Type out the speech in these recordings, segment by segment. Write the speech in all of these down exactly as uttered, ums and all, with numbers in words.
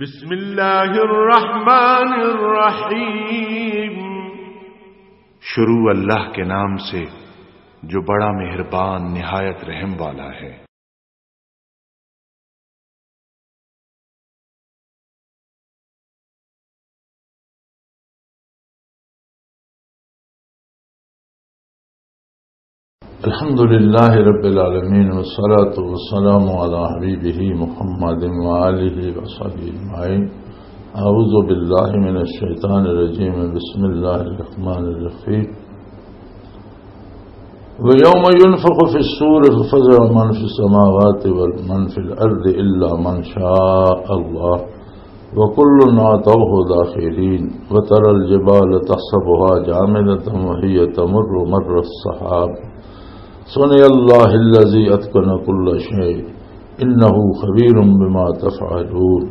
بسم اللہ الرحمن الرحیم۔ شروع اللہ کے نام سے جو بڑا مہربان نہایت رحم والا ہے۔ الحمد لله رب العالمين، والصلاة والسلام على حبيبه محمد وآله وصحبه أجمعين. أعوذ بالله من الشيطان الرجيم. بسم الله الرحمن الرحيم. ويوم ينفخ في الصور ففزع من في السماوات ومن في الأرض إلا من شاء الله وكل أتوه داخرين. وترى الجبال تحسبها جامدة وهي تمر مر السحاب. صنع الله الذي أتقن كل شيء إنه خبير بما تفعلون.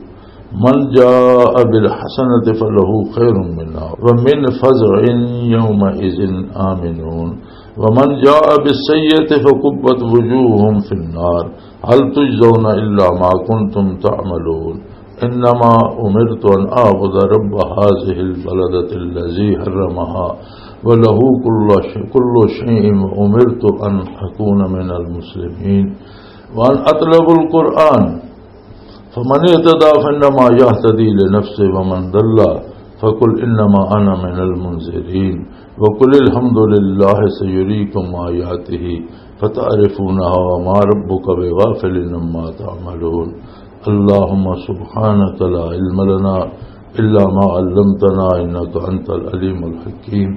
من جاء بالحسنة فله خير منها ومن فزع يومئذ آمنون. ومن جاء بالسيئة فكبت وجوههم في النار هل تجزون إلا ما كنتم تعملون. إنما أمرت أن أعبد رب هذه البلدة الذي حرمها وله كل شيء، كل شيء، وأمرت أن أكون من المسلمين وأن أطلب القرآن فمن اهتدى فإنما يهتدي لنفسه ومن ضل فقل إنما أنا من المنذرين وقل الحمد لله سيريكم آياته فتعرفونها وما ربك بغافل عما تعملون. اللهم سبحانك لا علم لنا إلا ما علمتنا إنك أنت العليم الحكيم.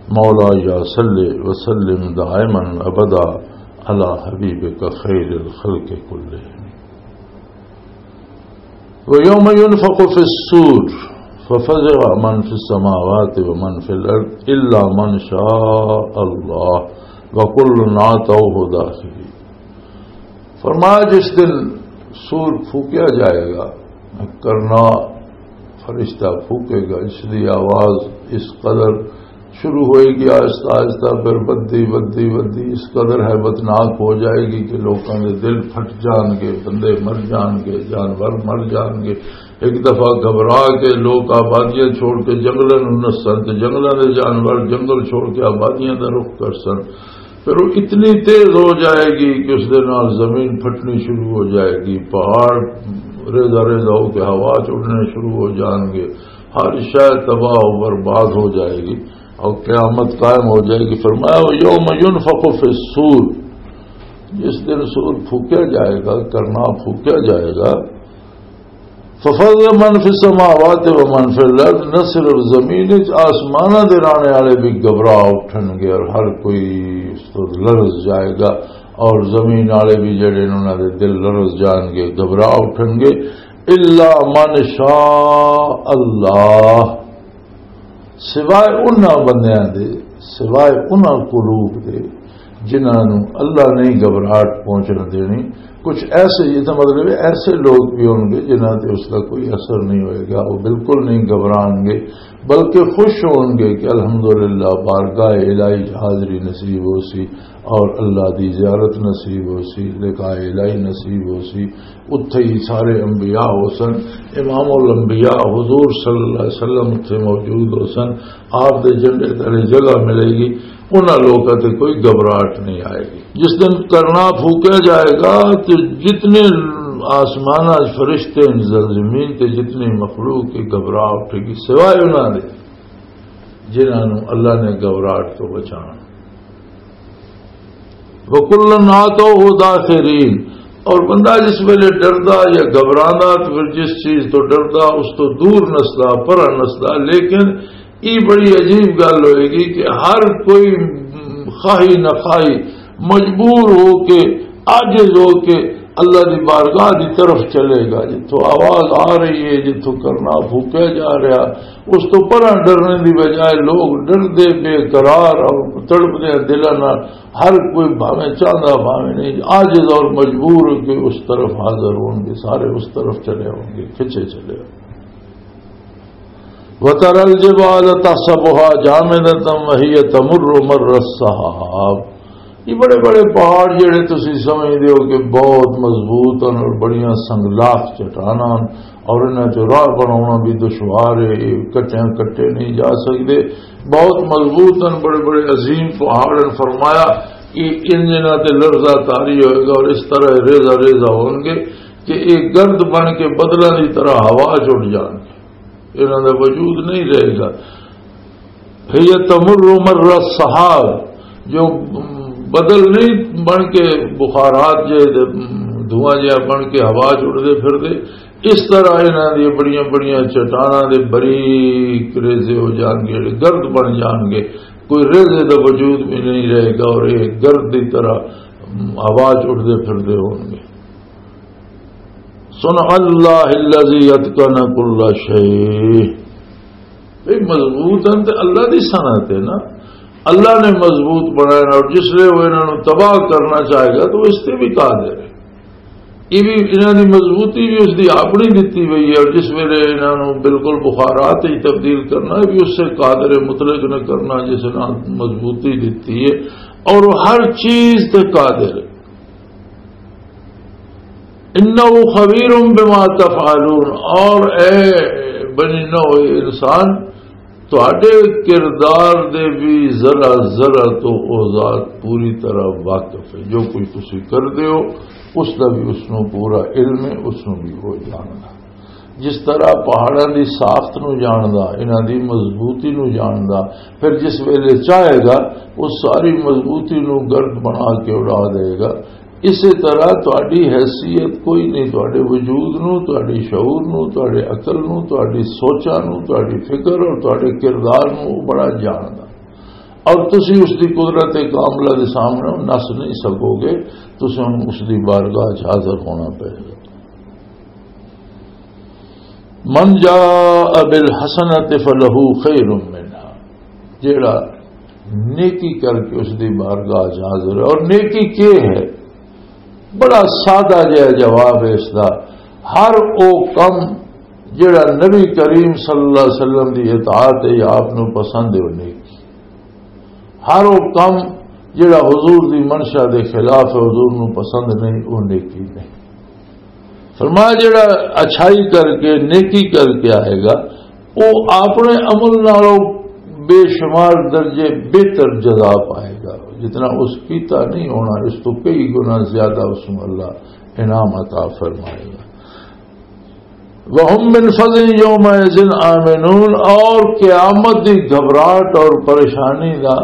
مولاي صل وسلم دائما أبدا على حبيبك خير الخلق كلهم. ويوم ينفخ في الصور ففزع من في السماوات ومن في الأرض إلا من شاء الله وكل أتوه داخرين. فرمایا، جس دن سور پھونکیا جائے گا، کرنا فرشتہ پھونکے گا، اس دی آواز اس قدر شروع ہوئے گی آہستہ آہستہ، پھر بدھی بدھی بدھی اس قدر ہیبتناک ہو جائے گی کہ لوکاں دے دل پھٹ جان گے، بندے مر جان گے، جانور مر جان گے۔ ایک دفعہ گھبرا کے لوک آبادیاں چھوڑ کے جنگلاں نوں نسن تے جنگلاں دے جانور جنگل چھوڑ کے آبادیاں دا رخ کرسن۔ پھر وہ اتنی تیز ہو جائے گی کہ اس دے نال زمین پھٹنی شروع ہو جائے گی، پہاڑ ریزہ ریزہ ہو کے ہوا چ اڑنے شروع ہو جان گے، ہر شے تباہ و برباد ہو جائے گی اور قیامت قائم ہو جائے گی۔ فرمایا، "یوم ینفخ فی الصور"، جس دن سور پھونکا جائے گا، کرنا پھونکا جائے گا، ففزع من فی السماوات و من فی الارض، نہ صرف زمین وچ، آسماناں دے رہنے والے بھی گھبرا اٹھن گے اور ہر کوئی اس تو لرز جائے گا، اور زمین والے بھی جڑے نے انہاں دے دل لرز جان گے، گھبرا اٹھن گے۔ الا من شاء اللہ، سوائے انہاں بندیاں دے، سوائے انہاں قلوب دے جنہاں نوں اللہ نہیں گھبراہٹ پہنچن دینی۔ کچھ ایسے، یہ تو مطلب ہے، ایسے لوگ بھی ہون گے جنہاں تے اس دا کوئی اثر نہیں ہوئے گا، وہ بالکل نہیں گھبران گے، بلکہ خوش ہون گے کہ الحمدللہ بارگاہ الہی حاضری نصیب ہو سی اور اللہ دی زیارت نصیب ہو سی، لقاء الہی نصیب ہو سی۔ اتھے ہی سارے انبیاء ہو سن، امام الانبیاء حضور صلی اللہ علیہ وسلم اتھے موجود ہو سن، آپ دے جھنڈے تلے جگہ ملے گی، انہاں لوکاں تے کوئی گھبراہٹ نہیں آئے گی۔ جس دن کرنا پھوکیا جائے گا تو جتنے آسماناں فرشتے ہیں، زمین تے جتنی مخلوق کی گھبراہٹ ہوگی، سوائے انہاں دے جنہاں نوں اللہ نے گھبراہٹ تو بچانا۔ وَكُلًّا أَتَوْهُ دَاخِرِينَ۔ اور بندہ جس ویلے ڈردا یا گھبراندا تو پھر جس چیز تو ڈردا اس تو دور نسدا، پرا نسدا۔ لیکن یہ بڑی عجیب گل ہوئے گی کہ ہر کوئی خواہی نہ خواہی مجبور ہو کے، عاجز ہو کے اللہ دی بارگاہ دی طرف چلے گا۔ جتھوں آواز آ رہی ہے، جتھوں کرنا پھوکیا جا رہا، اس تو پرا ڈرنے دی بجائے لوگ ڈردے، بے قرار اور تڑپدے دلاں نال ہر کوئی بھاویں چاہندا بھاویں نہیں، عاجز اور مجبور ہو کے اس طرف حاضر ہون گے، سارے اس طرف چلے ہون گے، کھچے چلے ہون گے۔ وَتَرَى الْجِبَالَ تَحْسَبُهَا جَامِدَةً وَهِيَ تَمُرُّ مَرَّ السَّحَابِ۔ یہ بڑے بڑے پہاڑ جڑے تسی سمجھدے ہو کہ بہت مضبوط ہیں اور بڑیاں سنگلاخ چٹاناں ہیں، اور انہاں چ راہ بناونا بھی دشوار ہے، یہ کٹیاں کٹے نہیں جا سکدے، بہت مضبوط ہیں، بڑے بڑے عظیم پہاڑ ہیں۔ فرمایا کہ ان جنہاں تے لرزہ طاری ہوئے گا اور اس طرح ریزہ ریزہ ہون گے کہ یہ گرد بن کے بدلاں دی طرح ہوا چ اڑ جان گے، انہاں دا وجود نہیں رہے گا۔ هي تمر مر السحاب، جو بدل نہیں بن کے بخارات جے دے، دھواں جہا بن کے ہوا چ اڑدے پھردے، اس طرح انہاں دی بڑیاں بڑیاں چٹاناں دے بریک ریزے ہو جان گے، گرد بن جان گے، کوئی ریزے دا وجود بھی نہیں رہے گا اور یہ گرد دی طرح ہوا چ اڑدے پھردے ہون گے۔ صنع اللہ الذی اتقن کل شیء۔ بھئی مضبوط ہیں تے اللہ دی صنعت ہے نا، اللہ نے مضبوط بنایا نا، اور جس لئے وہ انہاں نوں تباہ کرنا چاہے گا تو اس تے بھی قادر ہے۔ یہ بھی انہاں دی مضبوطی بھی اس دی اپنی دتی ہوئی ہے، اور جس ویلے انہاں نوں بالکل بخارات ہی تبدیل کرنا ہے بھی اس سے قادر مطلق نے کرنا جس نے مضبوطی دتی ہے، اور وہ ہر چیز تے قادر ہے۔ انہ خبیر بما تفعلون، اور اے بنی نوع انسان، تہاڈے کردار دے بھی ذرا ذرا تو او ذات پوری طرح واقف ہے۔ جو کچھ تسی کردے ہو، اس دا بھی اس نوں پورا علم ہے، اس نوں بھی وہ جاندا۔ جس طرح پہاڑاں دی ساخت نوں جاندا، انہاں دی مضبوطی نوں جاندا، پھر جس ویلے چاہے گا، اس ساری مضبوطی نوں گرد بنا کے اڑا دے گا۔ اسی طرح تہاڈی حیثیت کوئی نہیں، تہاڈے وجود نو، تہاڈی شعور نو، تہاڈے عقل نو، تہاڈی سوچاں نو، تہاڈی فکر اور تہاڈے کردار نو وہ بڑا جاندا۔ اور تسی اس دی قدرت کاملہ دے سامنے نس نہیں سکو گے، تسی ہن اس دی بارگاہ چ حاضر ہونا پے گا۔ من جاء بالحسنۃ فلہ خیر منہا، جیڑا نیکی کر کے اس دی بارگاہ چ حاضر ہے۔ اور نیکی کیا ہے؟ بڑا سادہ جہا جواب ہے اس دا۔ ہر او کم جڑا نبی کریم صلی اللہ علیہ وسلم دی اطاعت ہے یا آپ نو پسند ہے، وہ نیکی۔ ہر وہ کم جڑا حضور دی منشا دے خلاف ہے، حضور نو پسند نہیں، وہ نیکی نہیں۔ فرمایا جڑا اچھائی کر کے، نیکی کر کے آئے گا، وہ اپنے عمل نالوں بے شمار درجے بہتر جزا پائے گا۔ جتنا اس کیتا نہیں ہونا، اس تو کئی گنا زیادہ اس نو اللہ انعام عطا فرمائے گا۔ وَهُمْ مِنْ فَزْعٍ يَوْمَئِذٍ آمِنُونَ، اور قیامت دی گھبراہٹ اور پریشانی دا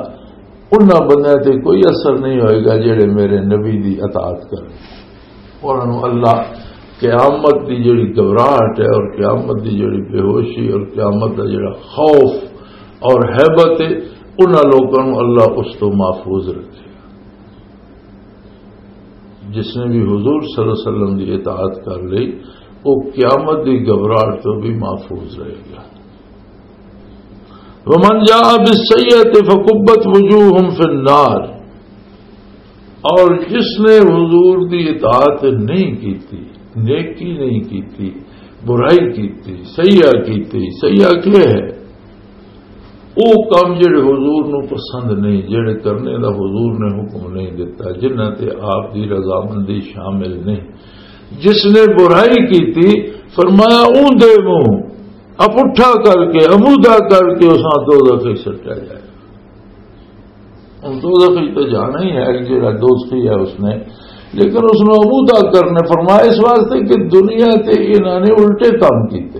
انہاں بندیاں تے کوئی اثر نہیں ہوئے گا جڑے میرے نبی دی اطاعت کرن۔ انہاں نوں اللہ قیامت دی جڑی گھبراہٹ ہے اور قیامت دی جڑی بے ہوشی اور قیامت دا جڑا خوف اور ہیبت ہے، انہاں لوکاں نوں اللہ اس تو محفوظ رکھے۔ جس نے بھی حضور صلی اللہ علیہ وسلم دی اطاعت کر لی، وہ قیامت دی گھبراہٹ تو بھی محفوظ رہے گا۔ ومن جاء بالسیئۃ فکبت وجوہہم فی النار، اور جس نے حضور دی اطاعت نہیں کیتی، نیکی نہیں کیتی، برائی کیتی، سیئہ کیتی، سیئہ کیا ہے؟ او کام جڑے حضور نو پسند نہیں، جڑے کرنے دا حضور نے حکم نہیں دیتا، جنہاں تے آپ دی رضامندی شامل نہیں۔ جس نے برائی کیتی، فرمایا اون دے منہ اپٹھا کر کے، امودا کر کے اساں دوزخ وچ سٹیا جائے۔ ہن دوزخ وچ تو جانا ہی ہے، جڑا دوزخی ہے اس نے، لیکن اس نو امودا کرنے فرمایا اس واسطے کہ دنیا تے انہاں نے الٹے کام کیتے۔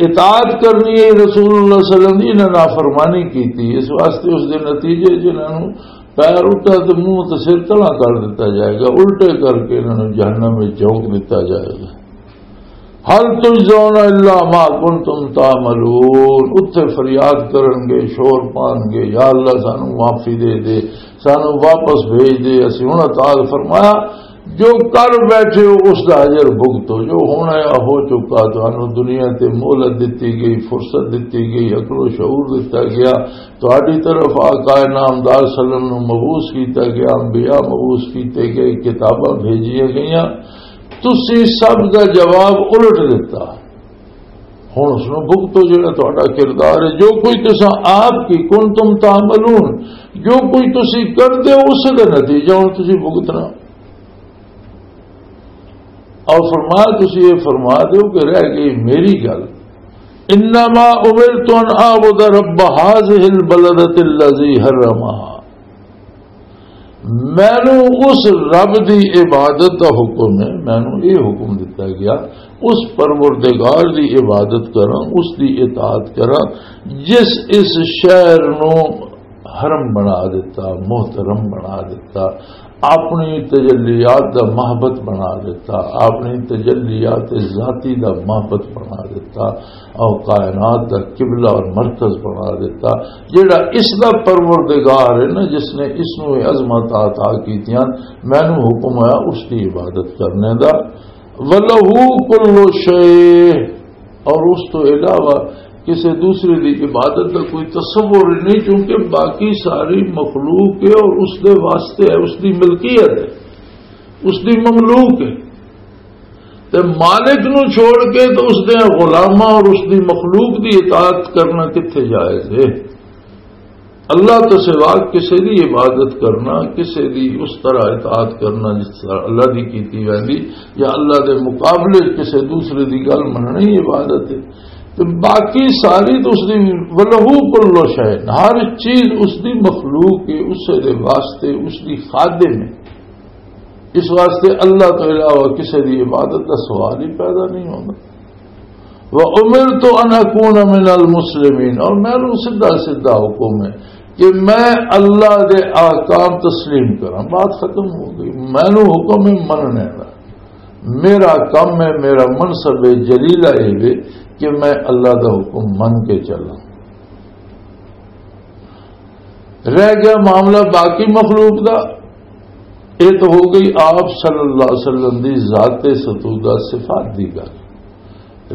اطاعت کرنی ہے رسول اللہ صلی اللہ علیہ وسلم دی، انہاں نافرمانی کیتی، اس واسطے اس دے نتیجے جنہاں نوں پیر اٹھا تے منہ تے سر تلا کر دتا جائے گا، الٹے کر کے انہاں نوں جہنم وچ جھونک دتا جائے گا۔ هل تجزون الا ما کنتم تعملون، اتھے فریاد کرن گے، شور پان گے، یا اللہ سانو معافی دے دے، سانو واپس بھیج دے، اسی ہن اطاعت۔ فرمایا جو کر بیٹھے ہو اس دا اجر بھگتو، جو ہونا ہے ہو چکا، تانوں دنیا تے مہلت دتی گئی، فرصت دتی گئی، عقل و شعور دتا گیا، تہاڈی طرف آقا نامدار صلی اللہ علیہ وسلم نو مبعوث کیتا گیا، انبیاء مبعوث کیتے گئے، کتاباں بھیجیاں گئیاں، تسی سب دا جواب الٹ دتا۔ ہن اس نوں بھگتو، جڑا تہاڈا کردار ہے، جو کوئی تساں آپ کی کنتم تعملون، جو کوئی تسی کردے ہو، اس دا نتیجہ ہن تسی بھگتنا۔ اور فرمایا، تسی یہ فرما دیو کہ رہ گئی میری گل، انما امرت ان اعبد رب هذه البلدة الذي حرمها۔ مینوں اس رب دی عبادت دا حکم ہے، مینوں یہ حکم دتا گیا، اس پروردگار دی عبادت کراں، اس دی اطاعت کراں، جس اس شہر نو حرم بنا دیتا، محترم بنا دیتا، اپنی تجلیات دا محبت بنا دیتا، اپنی تجلیات ذاتی دا محبت بنا دیتا، اور کائنات دا قبلہ اور مرکز بنا دیتا، جڑا اس دا پروردگار ہے نا، جس نے اس نو یہ عظمت عطا کیتیاں، مینوں حکم آیا اس دی عبادت کرنے دا۔ وَلَهُ كُلُّ شَيْءٍ، اور اس تو علاوہ کسی دوسرے دی عبادت دا کوئی تصور ہی نہیں، کیونکہ باقی ساری مخلوق ہے اور اس دے واسطے ہے، اس دی ملکیت ہے، اس دی مملوک ہے۔ تے مالک نو چھوڑ کے تو اس دے غلاماں اور اس دی مخلوق دی اطاعت کرنا کتھے جائز ہے؟ اللہ تو سوا کسے دی عبادت کرنا، کسے دی اس طرح اطاعت کرنا جس طرح اللہ دی کیتی ویندی، یا اللہ دے مقابلے کسے دوسرے دی گل مننی عبادت ہے۔ تے باقی ساری تو اس دی، وَلَهُ كُلُّ شَيْءٍ، ہر چیز اس دی مخلوق ہے، اسے دے واسطے، اس دی خادم ہے۔ اس واسطے اللہ تو علاوہ کسے دی عبادت دا سوال ہی پیدا نہیں ہوندا۔ وَأُمِرْتُ أَنْ أَكُونَ مِنَ الْمُسْلِمِينَ، اور مینوں سیدھا سیدھا حکم ہے کہ میں اللہ دے احکام تسلیم کراں۔ بات ختم ہو گئی۔ مینوں حکم ہے مننے دا، میرا کم ہے، میرا منصب ہے جلیلہ یہ وے کہ میں اللہ دا حکم من کے چلاں۔ رہ گیا معاملہ باقی مخلوق دا، یہ تو ہو گئی آپ صلی اللہ علیہ وسلم دی ذات ستودہ صفات دی گل۔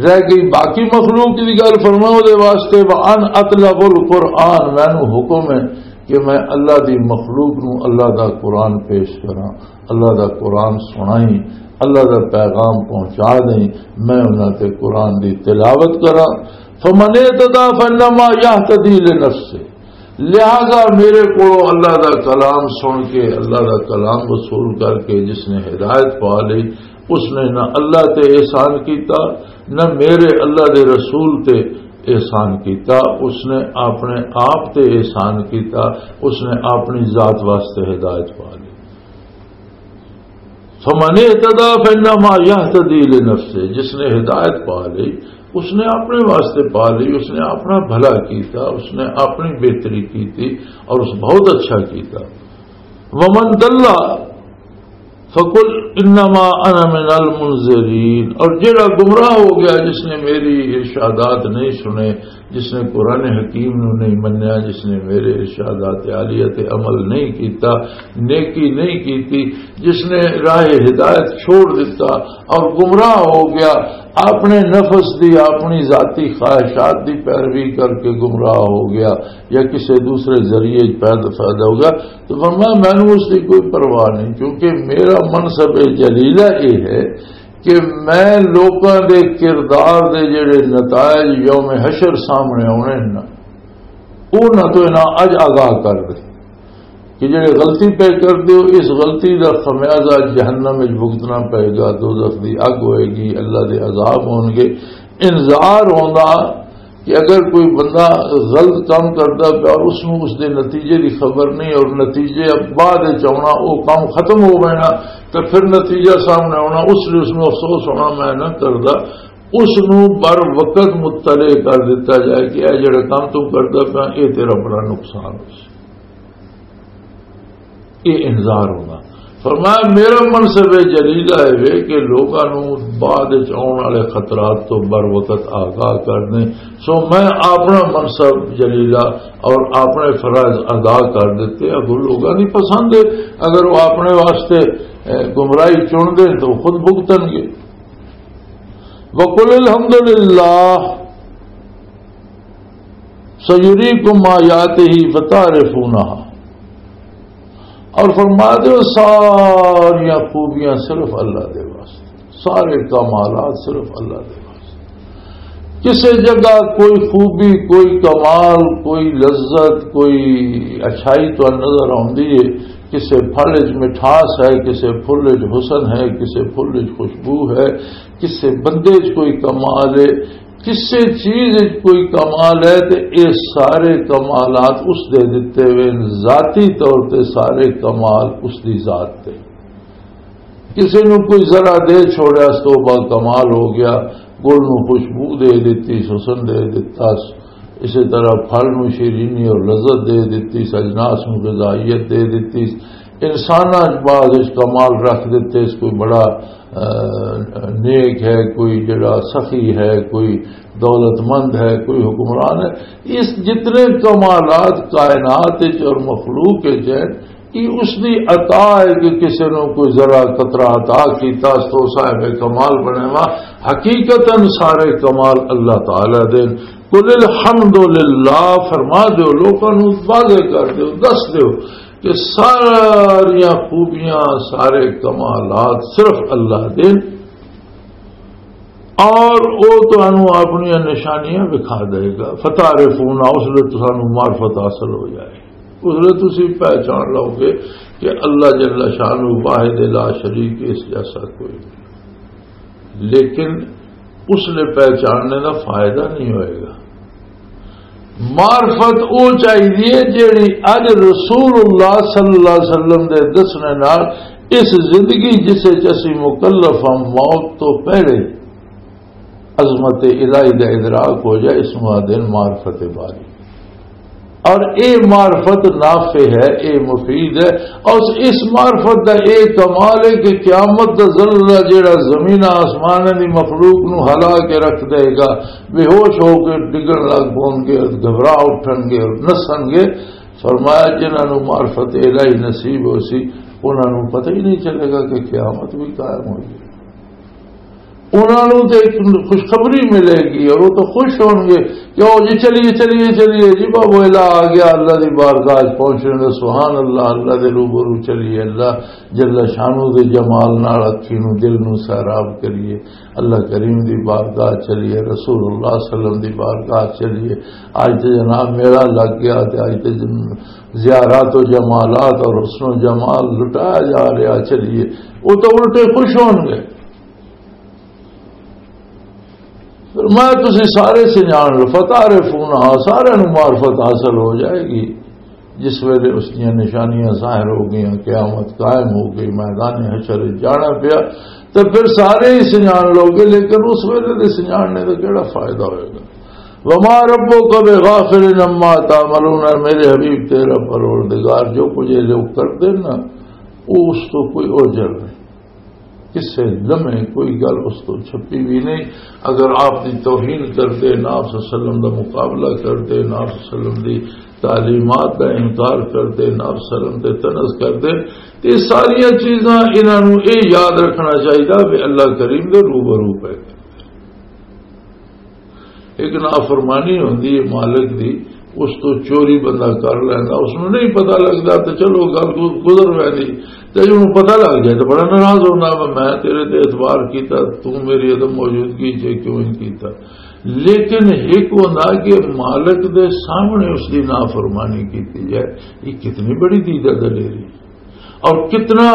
رہ گئی باقی مخلوق دی گل، فرمایا دے واسطے، وَأَنْ أَتْلُوَ الْقُرْآنَ، مینوں حکم ہے کہ میں اللہ دی مخلوق نوں اللہ دا قرآن پیش کراں، اللہ دا قرآن سنائیں، اللہ دا پیغام پہنچا دیں، میں انہاں تے قرآن دی تلاوت کراں۔ فَمَنِ اهْتَدَى فَإِنَّمَا يَهْتَدِي لِنَفْسِهِ، لہذا میرے کو اللہ دا کلام سن کے، اللہ دا کلام وصول کر کے جس نے ہدایت پا لی، اس نے نہ اللہ تے احسان کیتا، نہ میرے اللہ دے رسول تے احسان کیتا، اس نے اپنے آپ تے احسان کیتا، اس نے اپنی ذات واسطے ہدایت پا لی۔ فَمَنِ اهْتَدَى فَإِنَّمَا يَهْتَدِي لِنَفْسِهِ، جس نے ہدایت پا لی، اس نے اپنے واسطے پا لی، اس نے اپنا بھلا کیتا، اس نے اپنی بہتری کیتی اور اس بہت اچھا کیتا۔ وَمَنْ ضَلَّ فَقُلْ إِنَّمَا أَنَا مِنَ الْمُنْذِرِينَ، اور جڑا گمراہ ہو گیا، جس نے میری ارشادات نہیں سنے، جس نے قرآن حکیم نو نہیں منیا، جس نے میرے ارشادات عالیہ تے عمل نہیں کیتا، نیکی نہیں کیتی، جس نے راہ ہدایت چھوڑ دیتا اور گمراہ ہو گیا، اپنے نفس دی، اپنی ذاتی خواہشات دی پیروی کر کے گمراہ ہو گیا یا کسی دوسرے ذریعے پیدا، پیدا ہو گیا، تو فرمایا، مینوں اس دی کوئی پرواہ نہیں، کیونکہ میرا منصب جلیلہ یہ ہے کہ میں لوکاں دے کردار دے جڑے نتائج یوم حشر سامنے آنے نا، انہاں تو انہاں اج آگاہ کر دے کہ جڑے غلطی پہ کر دیو، اس غلطی دا خمیازہ جہنم وچ بھگتنا پئے گا، دوزخ دی اگ ہوئے گی، اللہ دے عذاب ہون گے۔ انذار ہوندا کہ اگر کوئی بندہ غلط کام کردا پیا اور اس نوں اس دے نتیجے دی خبر نہیں اور نتیجے بعد وچ آونا، او کام ختم ہو وینا، تو پھر نتیجہ سامنے آونا، اس لیے اس نوں افسوس ہونا، میں نہ کردا۔ اس نوں بر وقت مطلع کر دتا جائے کہ اے جڑا کام تو کردا پیا، اے تیرا بڑا نقصان ہو سی۔ یہ انذار ہونا۔ فرمایا، میرا منصب جلیلہ ہے وے کہ لوگاں نوں بعد وچ آؤن والے خطرات تو بر وقت آگاہ کر دیں۔ سو میں اپنا منصب جلیلہ اور اپنے فرائض ادا کر دیتے۔ اگر لوگاں دی پسند ہے، اگر وہ اپنے واسطے، اے، گمراہی چن دیں تو خود بھگتن گے۔ وَقُلِ الْحَمْدُ لِلَّهِ سَيُرِيكُمْ آيَاتِهِ فَتَعْرِفُونَهَا۔ اور فرما دے، ساریاں خوبیاں صرف اللہ دے واسطے، سارے کمالات صرف اللہ دے واسطے۔ کسے جگہ کوئی خوبی، کوئی کمال، کوئی لذت، کوئی اچھائی تو نظر آندی ہے، کسے پھل وچ مٹھاس ہے، کسے پھل وچ حسن ہے، کسے پھل وچ خوشبو ہے، کسے بندے وچ کوئی کمال ہے، کسے چیز وچ کوئی کمال ہے، تے اے سارے کمالات اس دے دتے ہوئے نے، ذاتی طور تے سارے کمال اس دی ذات تے۔ کسے نوں کوئی ذرا دے چھوڑیا، اس تو بعد کمال ہو گیا، گل نوں خوشبو دے دتی، حسن دے دتا، اسے طرح پھل نوں شیرینی اور لذت دے دتی، اجناس نوں غذائیت دے دتی، انساناں بعد اس کمال رکھ دتے، اس کوئی بڑا، آ، نیک ہے، کوئی جڑا سخی ہے، کوئی دولت مند ہے، کوئی حکمران ہے۔ اس جتنے کمالات کائنات وچ اور مخلوق وچ ہے، یہ اس دی عطا ہے کہ کسی نوں کوئی ذرا قطرہ عطا کیتا، اس تو صاحب کمال بنے وا۔ حقیقتاً سارے کمال اللہ تعالیٰ دے۔ قل الحمد للہ، فرما دیو، لوکاں نوں واضح کر دیو، دس دیو کہ ساریاں خوبیاں، سارے کمالات صرف اللہ دے۔ اور وہ تانوں اپنی نشانیاں دکھا دے گا، فتعرفون، اس لیے تانوں معرفت حاصل ہو جائے۔ اس لیے تسی پہچان لو گے کہ اللہ جل شانہ واحد لا شریک، اس جیسا کوئی نہیں۔ لیکن اس لیے پہچاننے دا فائدہ نہیں ہوئے گا۔ معرفت او چاہیے جیڑی اج رسول اللہ صلی اللہ علیہ وسلم دے دسنے نال اس زندگی جس وچ اسی مکلف ہاں، موت تو پہلے عظمت الہی دا ادراک ہو جائے، اس نوں آدھے معرفت باری۔ اور اے معرفت نافع ہے، اے مفید ہے۔ اور اس معرفت دا اے کمال ہے کہ قیامت دا زلزلہ جڑا زمین آسمان دی مخلوق نوں ہلا کے رکھ دے گا، بے ہوش ہو کے ڈگن لگ پون گے، گھبرا اٹھن گے اور نسن گے۔ فرمایا، جنہاں نوں معرفت الہی نصیب ہو سی، انہاں نوں پتہ ہی نہیں چلے گا کہ قیامت بھی قائم ہوئی ہے۔ انہاں نوں تے ایک خوشخبری ملے گی اور وہ تو خوش ہون گے کہ "او جی، چلیے، چلیے، چلیے جی، بابو الا آ گیا، اللہ دی بارگاہ وچ پہنچنے دا، سبحان اللہ، اللہ دے روبرو چلیے، اللہ جل شانو دے جمال نال اکھی نوں، دل نوں سیراب کریے، اللہ کریم دی بارگاہ چلیے، رسول اللہ صلی اللہ علیہ وسلم دی بارگاہ چلیے۔ اج تے جناب میلہ لگ گیا تے اج تے جن-، زیارات و جمالات اور حسن و جمال لٹایا جا رہا، چلیے۔" وہ تو الٹے خوش ہون گے۔ فرمایا، "تسی سارے سنجان لو، فتعرفونہا، سارے نوں معرفت حاصل ہو جائے گی۔" جس ویلے اس دیاں نشانیاں ظاہر ہو گئیاں، قیامت قائم ہو گئی، میدان حشر وچ جانا پیا، تے پھر سارے ہی سنجان لو گے، لیکن اس ویلے دے سنجاننے دا کیڑا فائدہ ہوئے گا؟ "وما ربک بغافل عما تعملون"، میرے حبیب، تیرا پروردگار جو کچھ یہ لوگ کرتے نا، وہ اس تو کوئی اوجھل نہیں۔ کسے لمحے کوئی گل اس تو چھپی بھی نہیں۔ اگر آپ دی توہین کردے، نبی صلی اللہ علیہ وسلم دا مقابلہ کردے، نبی صلی اللہ علیہ وسلم دی تعلیمات دا انکار کردے، نبی صلی اللہ علیہ وسلم تے طنز کردے، تے یہ ساریاں چیزاں انہاں نوں یہ یاد رکھنا چاہیدا کہ اللہ کریم دے روبرو پہ ایک نافرمانی ہوندی ہے مالک دی، اس تو چوری بندہ کر لیندا، اس نوں نہیں پتہ لگدا، تے چلو گل گز-، گزر ویندی۔ تے جے اونوں پتہ لگ جائے تے بڑا ناراض ہوندا، "میں، میں تیرے تے اعتبار کیتا، تو میری عدم موجودگی 'چ کیوں نہیں کیتا؟" لیکن ایک ہوندا کہ مالک دے سامنے اس دی نافرمانی کیتی جائے، یہ کتنی بڑی دیدہ دلیری۔ اور کتنا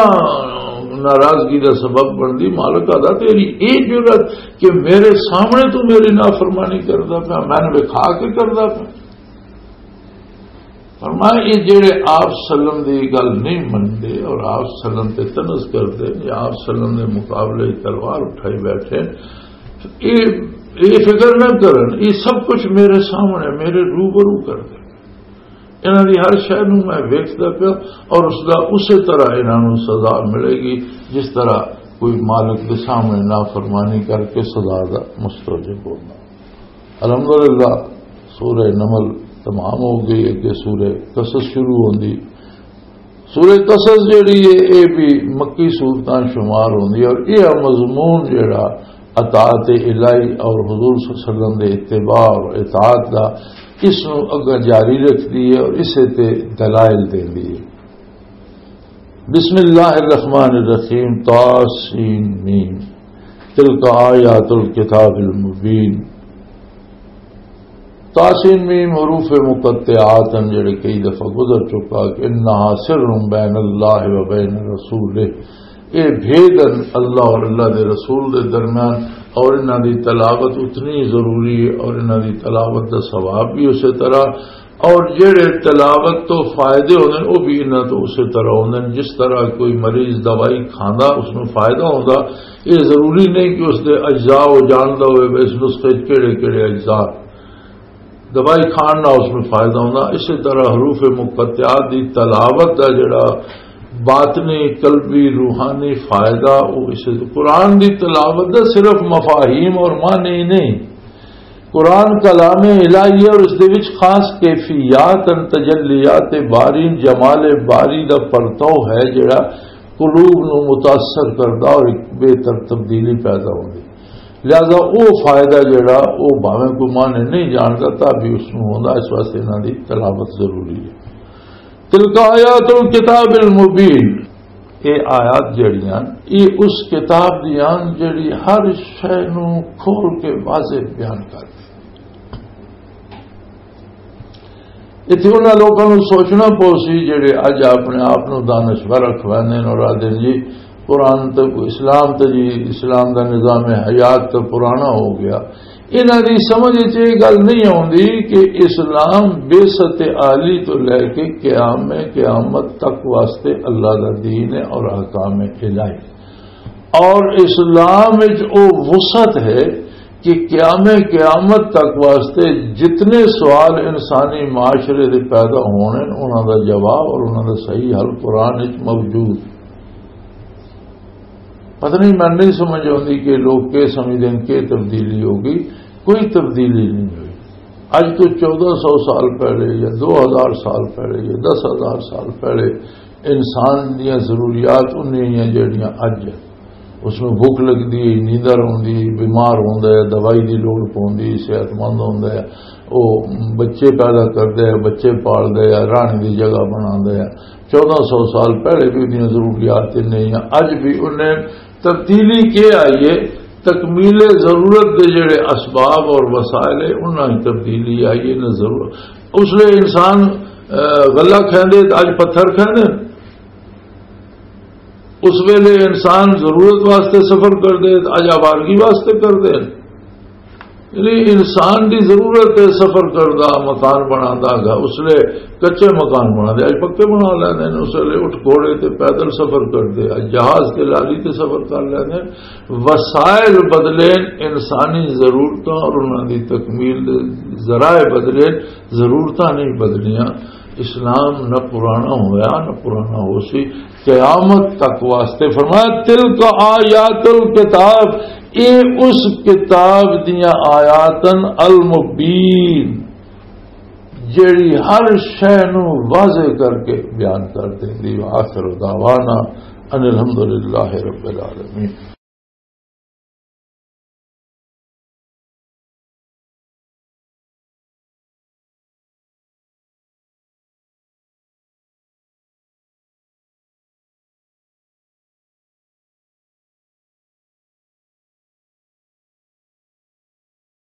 ناراضگی دا سبب بندی، مالک آدا، "تیری اے جرأت کہ میرے سامنے تو میری نافرمانی کردا پیا، میں نے وکھا کے کردا پیا۔" فرمایا، یہ جڑے آپ سلم دی گل نہیں مندے اور آپ سلم تے طنز کردے یا آپ سلم دے مقابلے تلوار اٹھائی بیٹھے، یہ، یہ فکر نہ کرن، یہ سب کچھ میرے سامنے، میرے روبرو کردے۔ انہاں دی ہر شے نوں میں ویکھدا پیا اور اس دا اسے طرح انہاں نوں سزا ملے گی، جس طرح کوئی مالک دے سامنے نافرمانی کر کے سزا دا مستوجب ہونا۔ الحمدللہ، سورہ نمل تمام ہو گئی، اگے سورہ قصص شروع ہوندی۔ سورہ قصص جڑی ہے، اے بھی مکی سورتاں شمار ہوندی ہے، اور یہ مضمون جڑا اطاعت الہی اور حضور صلی اللہ علیہ وسلم دے اتباع اور اطاعت دا، اس نوں اگاں جاری رکھدی ہے اور اسے تے دلائل دیندی ہے۔ بسم اللہ الرحمن الرحیم، طاسین میم، تلک آیات الکتاب المبین۔ طاسین میم حروف مقطعات ہیں، جڑے کئی دفعہ گزر چکا کہ انہا سر بین اللہ و بین رسولہ، یہ بھید ہیں اللہ اور اللہ دے رسول دے درمیان، اور انہاں دی تلاوت اتنی ضروری ہے اور انہاں دی تلاوت دا ثواب بھی اسی طرح، اور جڑے تلاوت تو فائدے ہوندے نے، وہ بھی انہاں تو اسی طرح ہوندے نے۔ جس طرح کوئی مریض دوائی کھاندا، اس نوں فائدہ ہوندا، یہ ضروری نہیں کہ اس دے اجزاء وہ جاندا ہوئے، اس نسخے 'چ کہڑے کہڑے اجزاء۔ دوائی کھان نال اس میں فائدہ ہوندا۔ اسی طرح حروف مقطعات دی تلاوت دا جڑا باطنی، قلبی، روحانی فائدہ، وہ اسے قرآن دی تلاوت دا صرف مفاہیم اور معنی ہی نہیں۔ قرآن کلام الہی ہے اور اس دے وچ خاص کیفیات ان، تجلیات باری، جمال باری دا پرتو ہے، جڑا قلوب نو متاثر کردا اور ایک بہتر تبدیلی پیدا ہوندی۔ لہذا او فائدہ جڑا، او بھاویں کوئی معنی نہیں جاندا، تاں بھی اس نوں ہوندا۔ اس واسطے انہاں دی تلاوت ضروری ہے۔ تلک آیات الکتاب المبین، یہ آیات جڑیاں، یہ اس کتاب دیاں جڑی ہر شے نوں کھول کے واضح بیان کر دے۔ اتھے انہاں لوکاں نوں سوچنا پو سی، جڑے اج اپنے آپ نوں دانشور اکھواندے نے اور آدھے جی قرآن تے، اسلام تے جی، اسلام دا نظام حیات تے پرانا ہو گیا۔ انہاں دی سمجھ وچ یہ گل نہیں آوندی کہ اسلام بعثت عالی تو لے کے قیام قیامت تک واسطے اللہ دا دین ہے اور احکام الہی۔ اور اسلام وچ او وسعت ہے کہ قیام قیامت تک واسطے جتنے سوال انسانی معاشرے دے پیدا ہونے، انہاں دا جواب اور انہاں دا صحیح حل قرآن وچ موجود۔ پتہ نہیں، میں نہیں سمجھ آتی کہ لوگ کی سمجھتے ہیں کہ تبدیلی ہو گئی۔ کوئی تبدیلی نہیں ہوئی۔ اج تو چودہ سو سال پہلے یا دو ہزار سال پہلے یا دس ہزار سال پہلے انسان دیاں ضروریات انہی ہیں جڑیاں اج ہیں۔ اس میں بھوک لگدی ہے، نیندر آوندی، بیمار ہوندا ہے، دوائی دی لوڑ پوندی، صحت مند ہوندا ہے، او بچے پیدا کردا ہے، بچے پالدا ہے، رہن دی جگہ بناندا ہے۔ چودہ سو سال پہلے بھی انہیاں ضروریات انہی ہیں، اج بھی انہیں۔ تبدیلی کی آئی ہے؟ تکمیل ضرورت دے جڑے اسباب اور وسائل ہیں، انہاں وچ تبدیلی آئی ہے۔ نہ ضرور، اس لیے انسان، اے، غلہ کھاندے تے اج پتھر کھاندے۔ اس ویلے انسان ضرورت واسطے سفر کردے تے اج آوارگی واسطے کردے۔ یعنی انسان دی ضرورت ہے سفر کردا، مکان بناندا گا، اس لیے کچے مکان بناندے، اج پکے بنا لیندے نے، اس لیے اٹھ گھوڑے تے پیدل سفر کردے، اج جہاز تے لاری تے سفر کر لیندے۔ وسائل بدلے، انسانی ضرورتاں اور انہاں دی تکمیل دے ذرائع بدلے، ضرورتاں نہیں بدلیاں۔ اسلام نہ پرانا ہویا، نہ پرانا ہو سی، قیامت تک واسطے۔ فرمایا، "تلک آیات الکتاب"، اے اس کتاب دیاں آیاتن، المبین، جیڑی ہر شے نو واضح کر کے بیان کر دیندی۔ وآخر دعوانا ان الحمدللہ رب العالمین۔